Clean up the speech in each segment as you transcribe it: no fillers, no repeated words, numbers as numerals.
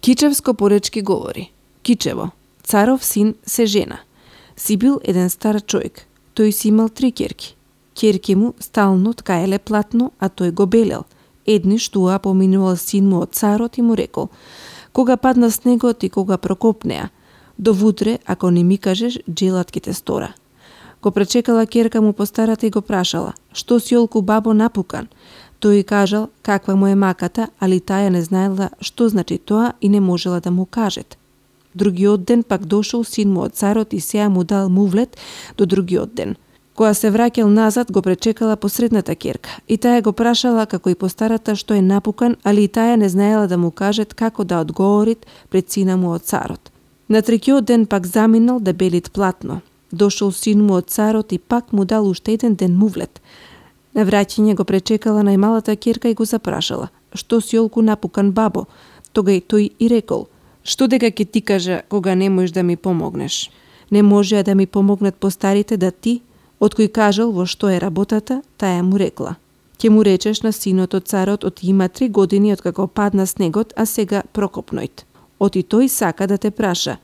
Кичевско поречки говори. Кичево, царов син се жена. Си бил еден стар човек. Тој си имал 3 ќерки. Ќерки му стално ткаеле платно, а тој го белел. Едниш туа поминувал син му од царот и му рекол: кога падна снегот и кога прокопнеа, до вутре, ако не ми кажеш, джелат ке те стора. Го пречекала ќерка му постарата и го прашала: што си олку бабо напукан? Тој кажал каква му е маката, али таа не знаела што значи тоа и не можела да му кажет. Другиот ден пак дошол син му од царот и сеја му дал мувлет до другиот ден. Кога се враќал назад, го пречекала посредната ќерка и таа го прашала како и постарата што е напукан, али и таа не знаела да му кажет како да одговорит пред сина му од царот. На третиот ден пак заминал да белит платно. Дошол син му од царот и пак му дал уште еден ден мувлет. На враќање го пречекала најмалата ќерка и го запрашала: што си олку напукан бабо? Тога и тој и рекол: што дека ќе ти кажа кога не можеш да ми помогнеш? Не можеа да ми помогнат постарите да ти, од кој кажал во што е работата, таа му рекла: ќе му речеш на синот од царот, оти има 3 години од како падна снегот, а сега прокопнојт. Оти тој сака да те праша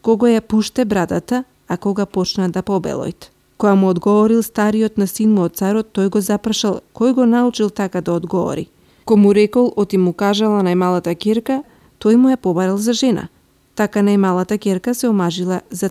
кога ја пуште брадата, а кога почна да побелојт. Кога му одговорил стариот на син му од царот, тој го запрашал кој го научил така да одговори. Ко му рекол, оти му кажала најмалата ќерка, тој му ја побарал за жена. Така најмалата ќерка се омажила за